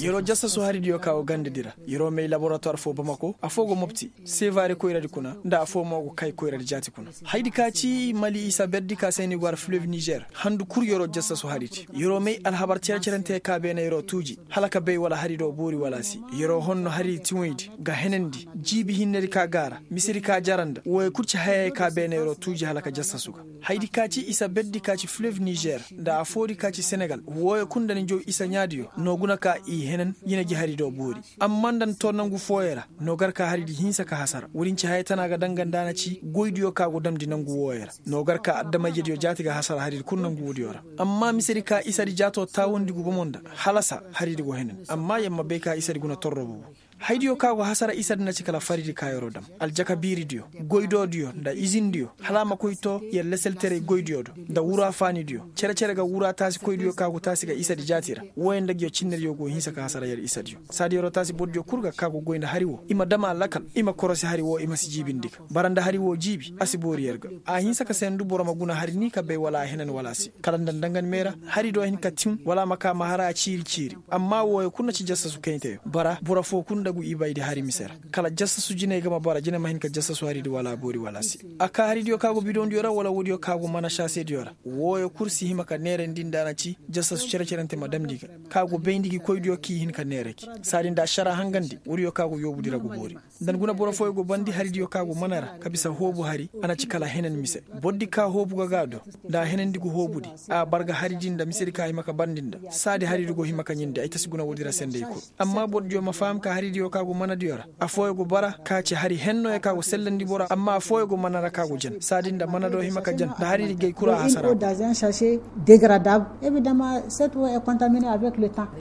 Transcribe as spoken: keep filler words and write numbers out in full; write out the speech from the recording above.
Yeroo jassasu haridiyo ka go gandadi ra, yeroo may laboratuwar foo bamako afoo go mopti seevaari koyradi kuna nda afoo mo go kay koyradi jaati kuna. Hayadi ka ci mali isa berdi ka se ni go har fileev nizer handu kul yeroo jassasu haridi, yeroo may alhabar cere-cerante ka beene yeroo tuuji hala ka bay wala harido boori wala si. Yeroo honno haridi tiŋoydi ga henandi jiibi hinnedi ka gaara misedi ka jara nda wooyo kul ci hayayey ka beene yeroo tuuji hala ka jassasu ga. Hayadi ka ci isa berdi ka ci fileev nizer nda afoodi ka ci senegal wooyo kul nda ni jow isa ɲaadiyo no guna ka i henen yine gi harido boori. Amma nda ni too nangu fooyo ra no gar ka haridi hinsa ka hasara woodin ci haya tana ga danga nda a na ci goydiyo ka go damndi nangu wooyo ra no gar ka adama-ijediyo jaati ga hasara haridi kul nangu woodiyo ra. Amma misedi ka isadi jaatoo taawandi gu bomo nda halasa haridi go henen. Amma yer ma bay ka isadi guna torro bobo. Haydiyo ka go hasara isadi na ci kala faridi ka yeroo dam aljaka biiridiyo, goydoodiyo nda izindiyo hala a ma koy too yer leselteray goydiyo do nda wuraafaanidiyo. Cere-cere ga wuraataasikoydiyo ka go taasi ga isadi jaati ra wooyo nda nguyo cinnediyo go hinsa ka hasara yer isadiyo. Saadi yeroo taasi bordiyo kul ga ka go goy nda hari woo i ma dam a lakal, i ma korosi hari woo i ma si jiibindi ga bara nda hari woo jiibi a si boori yer ga. A hinsa ka seendu boro ma guna hari ni ka bay wala a henan wala a si kala nda nda nga ni meera, harido hin ka tiŋ wala a ma ka ma har a ciiri-ciiri. Amma wooyo kul na ci jassasu kayteyo bara boro foo kul nda gu ibaydi hari mise ra. Kala jassasu jiney ga ma bara jine ma hin ka jassasu haridi wala a boori wala a si. A ka haridiyo ka go bidondiyo ra wala woodiyo ka go mana saasediyo ra wooyo kul si hima ka neerandi nda a na ci jassasu cere-cerante ma damndi ga ka go bayndi gi koydiyo k'i hin ka neera gi. Saadi nda ašara hangandi woodiyo ka go yoobudi ra go boori. Nda ni guna boro fooyo go bandi haridiyo ka go mana ra ka bisa hoobu hari a na ci kala henan mise. Bordi ka hoobu ga ga do nda a henandi go hoobudi, a bar ga haridi nda misedi ka hima ka bandi nda saadi haridi go hima ka ɲindi ay ta si guna woodi ra senday kul. Amma bordiyo ma faham ka haridiyo ka go manadiyo ra, afooyo go bara ka ci hari hennoyo ka go sellandi boro amma afooyo go mana ra ka go jan saadi nda mana do hima ka jan nda haridi gay kul a hasara. Degradable. Evidemment cette eau est contaminee avec le temps.